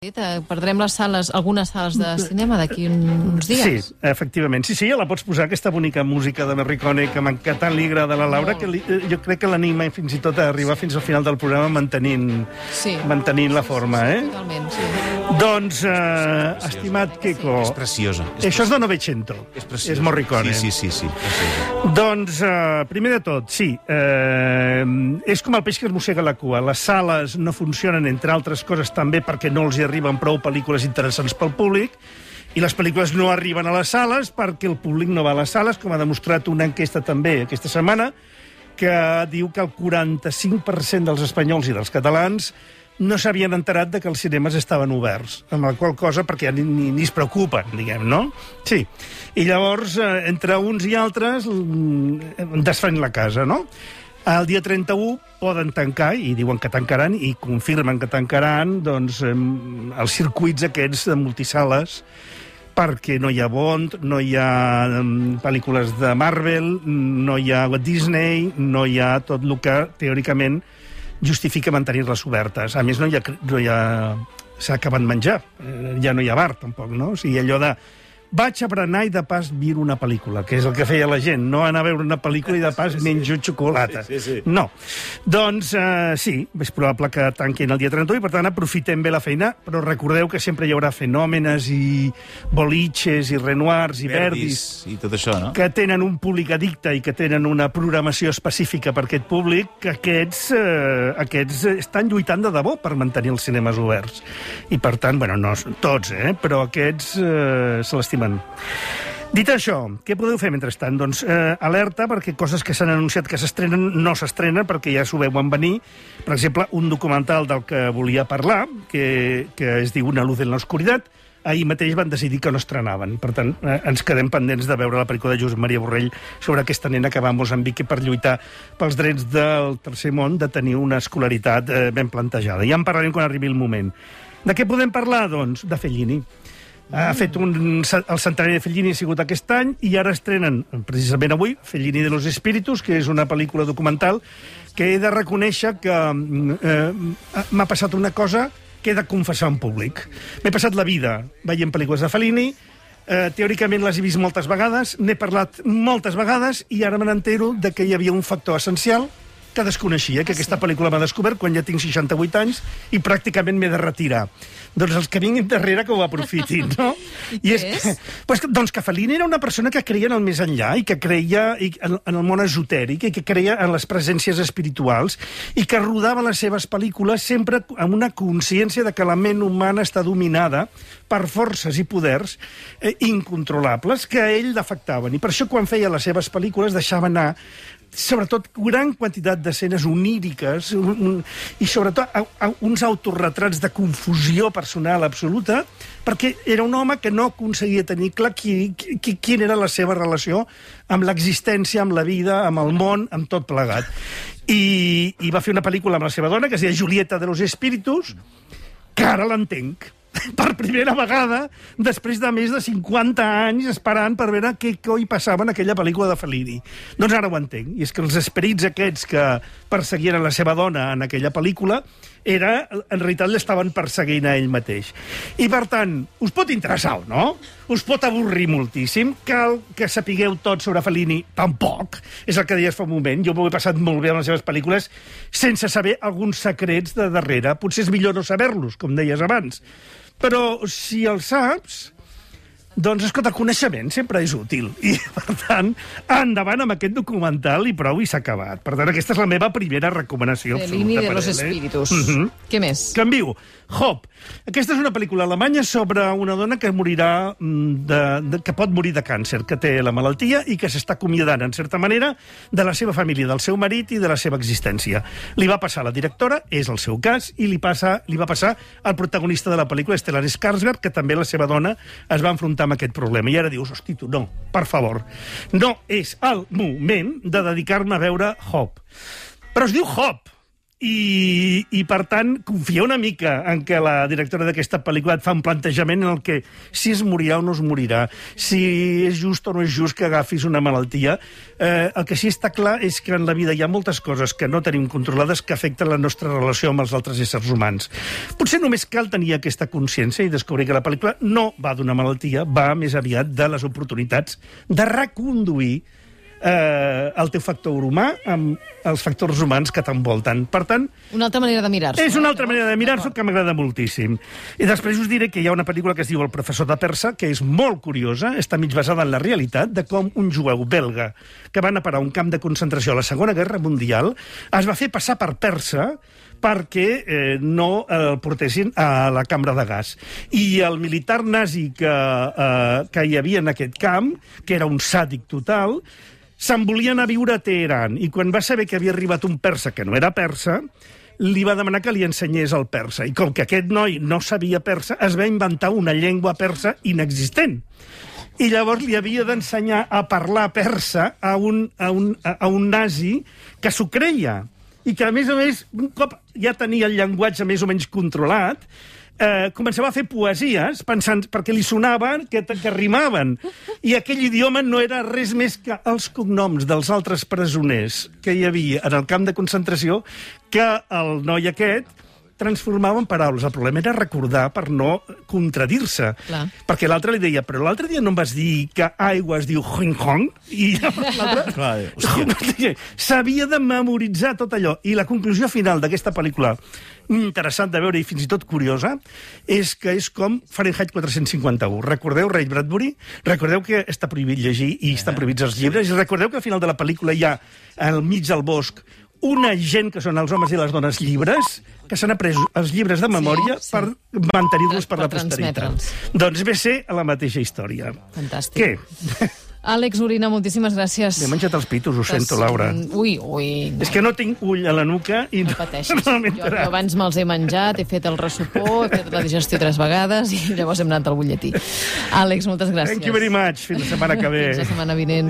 Perdrem les sales, algunes sales de cinema d'aquí uns dies. Sí, efectivament. Sí, ja la pots posar, aquesta bonica música de Morricone que tant li agrada a la Laura, que jo crec que l'anima fins i tot a arribar fins al final del programa mantenint la forma, Totalment, sí. Doncs, estimat Quico... És preciosa. Això és de Novecento. És preciosa. És Morricone. Sí. Preciosa. Doncs, primer de tot, sí, és com el peix que es mossega la cua. Les sales no funcionen, entre altres coses, també perquè no els hi arriben prou pel·lícules interessants pel públic, i les pel·lícules no arriben a les sales perquè el públic no va a les sales, com ha demostrat una enquesta també aquesta setmana, que diu que el 45% dels espanyols i dels catalans no s'havien enterat de que els cinemes estaven oberts, amb la qual cosa, perquè ja ni es preocupen, diguem, no? Sí. I llavors, entre uns i altres, desfan la casa, no? El dia 31 poden tancar, i diuen que tancaran, i confirmen que tancaran, doncs, els circuits aquests de multisales, perquè no hi ha Bond, no hi ha pel·lícules de Marvel, no hi ha Disney, no hi ha tot el que, teòricament, justifica mantenir-les obertes. A més, s'ha acabat menjar. Ja no hi ha bar, tampoc, no? O sigui, allò de... Vaig a berenar i de pas miro una pel·lícula, que és el que feia la gent, no anar a veure una pel·lícula i de pas menjo xocolata. Sí. No. Doncs, sí, és probable que tanquin el dia 31 i, per tant, aprofitem bé la feina, però recordeu que sempre hi haurà fenòmenes i boliches i Renoirs i Verdis i tot això, no? que tenen un públic addicte i que tenen una programació específica per aquest públic, que aquests estan lluitant de debò per mantenir els cinemes oberts. I, per tant, bueno, no tots, però aquests se l'estimen. Dit això, què podeu fer mentrestant? Doncs alerta, perquè coses que s'han anunciat que s'estrenen no s'estrenen, perquè ja s'ho veuen venir. Per exemple, un documental del que volia parlar, que es diu Una luz en l'oscuritat, ahir mateix van decidir que no estrenaven. Per tant, ens quedem pendents de veure la pel·lícula de Josep Maria Borrell sobre aquesta nena que va a Moçambic per lluitar pels drets del tercer món de tenir una escolaritat ben plantejada. Ja en parlarem quan arribi el moment. De què podem parlar? Doncs de Fellini. Ha fet el centenari de Fellini ha sigut aquest any i ara estrenen, precisament avui, Fellini de los Espíritus, que és una pel·lícula documental que he de reconèixer que m'ha passat una cosa que he de confessar en públic. M'he passat la vida veient pel·lícules de Fellini, teòricament les he vist moltes vegades, n'he parlat moltes vegades i ara me n'entero que hi havia un factor essencial que desconeixia, que aquesta pel·lícula m'ha descobert quan ja tinc 68 anys i pràcticament m'he de retirar. Doncs els que vinguin darrere que ho aprofitin, no? I què és? Doncs que Fellini era una persona que creia en el més enllà i que creia en el món esotèric i que creia en les presències espirituals i que rodava les seves pel·lícules sempre amb una consciència de que la ment humana està dominada per forces i poders incontrolables que a ell l'afectaven. I per això quan feia les seves pel·lícules deixava anar sobretot gran quantitat d'escenes oníriques i sobretot uns autorretrats de confusió personal absoluta, perquè era un home que no aconseguia tenir clar quina era la seva relació amb l'existència, amb la vida, amb el món, amb tot plegat. I va fer una pel·lícula amb la seva dona que es deia Julieta de los Espíritus, que ara l'entenc. Per primera vegada, després de més de 50 anys esperant per veure què coi passava en aquella pel·lícula de Fellini. Doncs ara ho entenc. I és que els esperits aquests que perseguien la seva dona en aquella pel·lícula en realitat l'estaven perseguint a ell mateix. I, per tant, us pot interessar o no? Us pot avorrir moltíssim? Cal que sapigueu tot sobre Fellini? Tampoc. És el que deies fa un moment. Jo m'ho he passat molt bé amb les seves pel·lícules sense saber alguns secrets de darrere. Potser és millor no saber-los, com deies abans. Però si els saps, doncs, escolta, el coneixement sempre és útil. I, per tant, endavant amb aquest documental i prou i s'ha acabat. Per tant, aquesta és la meva primera recomanació absoluta. Fellini de los Espíritus. Què més? Canvio. Hop. Aquesta és una pel·lícula alemanya sobre una dona que morirà que pot morir de càncer, que té la malaltia i que s'està acomiadant, en certa manera, de la seva família, del seu marit i de la seva existència. Li va passar a la directora, és el seu cas, i li va passar al protagonista de la pel·lícula, Stellan Skarsgård, que també la seva dona es va enfrontar amb aquest problema. I ara dius, hosti, tu, no, per favor, no és el moment de dedicar-me a veure Hop. Però es diu Hop. I, per tant, confia una mica en que la directora d'aquesta pel·lícula et fa un plantejament en el que si es morirà o no es morirà, si és just o no és just que agafis una malaltia. El que sí està clar és que en la vida hi ha moltes coses que no tenim controlades que afecten la nostra relació amb els altres éssers humans. Potser només cal tenir aquesta consciència i descobrir que la pel·lícula no va d'una malaltia, va més aviat de les oportunitats de reconduir el teu factor humà amb els factors humans que t'envolten. Per tant... Una altra manera de mirar-s'ho. És una altra manera de mirar-s'ho que m'agrada moltíssim. I després us diré que hi ha una pel·lícula que es diu El professor de persa, que és molt curiosa, està mig basada en la realitat, de com un jueu belga que va anar a parar a un camp de concentració a la Segona Guerra Mundial es va fer passar per persa perquè no el portessin a la cambra de gas. I el militar nazi que hi havia en aquest camp, que era un sàdic total, se'n volia anar a viure a Teheran, i quan va saber que havia arribat un persa que no era persa, li va demanar que li ensenyés el persa. I com que aquest noi no sabia persa, es va inventar una llengua persa inexistent. I llavors li havia d'ensenyar a parlar persa a un nazi que s'ho creia. I que, a més, un cop ja tenia el llenguatge més o menys controlat, començava a fer poesies pensant, perquè li sonaven que rimaven. I aquell idioma no era res més que els cognoms dels altres presoners que hi havia en el camp de concentració que el noi aquest transformava en paraules. El problema era recordar per no contradir-se. Clar. Perquè l'altre li deia, però l'altre dia no em vas dir que aigua es diu Hong Kong? I l'altre s'havia de memoritzar tot allò. I la conclusió final d'aquesta pel·lícula, interessant de veure i fins i tot curiosa, és que és com Fahrenheit 451. Recordeu Ray Bradbury? Recordeu que està prohibit llegir i estan prohibits els llibres? I recordeu que al final de la pel·lícula hi ha, al mig del bosc, una gent que són els homes i les dones llibres, que s'han après els llibres de memòria per mantenir-los per la posteritat. Doncs ve ser la mateixa història. Fantàstic. Què? Àlex Orina, moltíssimes gràcies. M'he menjat els pitos, ho sento, Laura. Ui. És que no tinc ull a la nuca i no pateixis. Jo abans me'ls he menjat, he fet el ressupó, he fet la digestió 3 vegades i llavors hem anat al butlletí. Àlex, moltes gràcies. Thank you very much. Fins la setmana que ve. Fins la setmana vinent.